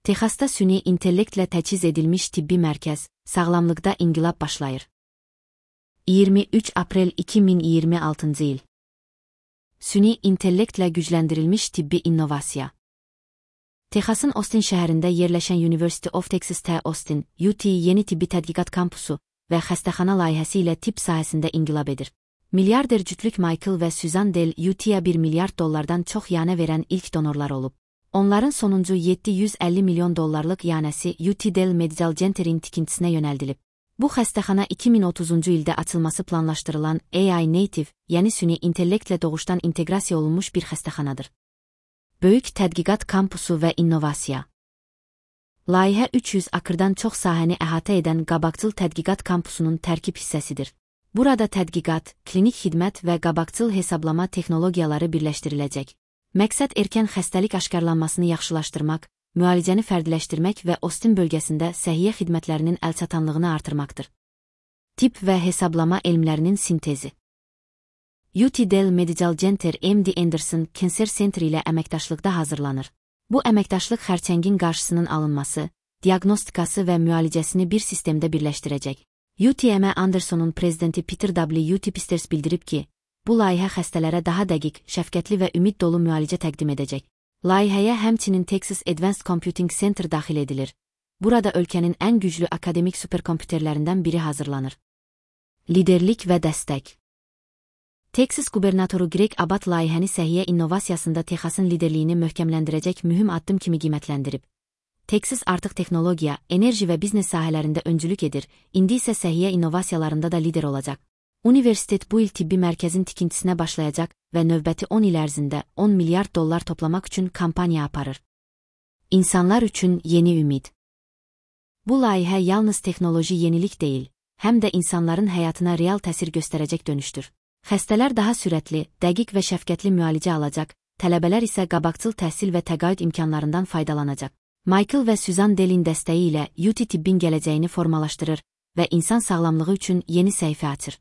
Texasda süni intellektlə təchiz edilmiş tibbi mərkəz, sağlamlıqda inqilab başlayır. 23 aprel 2026 il. Süni intellektlə gücləndirilmiş tibbi innovasiya. Texasın Austin şəhərində yerləşən University of Texas T. Austin, UT yeni tibbi tədqiqat kampusu və xəstəxana layihəsi ilə tibb sahəsində inqilab edir. Milyarder cütlük Michael və Susan Dell UT-ya $1 milyard çox yanə verən ilk donorlar olub. Onların sonuncu $750 milyon yanəsi UT Dell Medical Center'in tikintisinə yönəldilib. Bu xəstəxana 2030-cu ildə açılması planlaşdırılan AI Native, yəni süni intellektlə doğuşdan inteqrasiya olunmuş bir xəstəxanadır. Böyük tədqiqat kampusu və innovasiya. Layihə 300 akrdan çox sahəni əhatə edən qabaqcıl tədqiqat kampusunun tərkib hissəsidir. Burada tədqiqat, klinik xidmət və qabaqcıl hesablama texnologiyaları birləşdiriləcək. Məqsəd erkən xəstəlik aşkarlanmasını yaxşılaşdırmaq, müalicəni fərdiləşdirmək və Austin bölgəsində səhiyyə xidmətlərinin əlçatanlığını artırmaqdır. Tibb və hesablama elmlərinin sintezi. UT Dell Medical Center MD Anderson Cancer Center ilə əməkdaşlıqda hazırlanır. Bu əməkdaşlıq xərçəngin qarşısının alınması, diaqnostikası və müalicəsini bir sistemdə birləşdirəcək. UTM Anderson'un prezidenti Peter W. Pisters bildirib ki, bu layihə xəstələrə daha dəqiq, şəfqətli və ümid dolu müalicə təqdim edəcək. Layihəyə həmçinin Texas Advanced Computing Center daxil edilir. Burada ölkənin ən güclü akademik superkompüterlərindən biri hazırlanır. Liderlik və dəstək. Texas qubernatoru Greg Abbott layihəni səhiyyə innovasiyasında Texasın liderliyini möhkəmləndirəcək mühüm addım kimi qiymətləndirib. Texas artıq texnologiya, enerji və biznes sahələrində öncülük edir, indi isə səhiyyə innovasiyalarında da lider olacaq. Universitet bu il tibbi mərkəzin tikintisinə başlayacaq və növbəti 10 il ərzində $10 milyard toplamaq üçün kampaniya aparır. İnsanlar üçün yeni ümid. Bu layihə yalnız texnoloji yenilik deyil, həm də insanların həyatına real təsir göstərəcək dönüşdür. Xəstələr daha sürətli, dəqiq və şəfqətli müalicə alacaq, tələbələr isə qabaqcıl təhsil və təqaüd imkanlarından faydalanacaq. Michael və Susan Dell'in dəstəyi ilə UT tibbin gələcəyini formalaşdırır və insan sağlamlığı üçün yeni səhifə açır.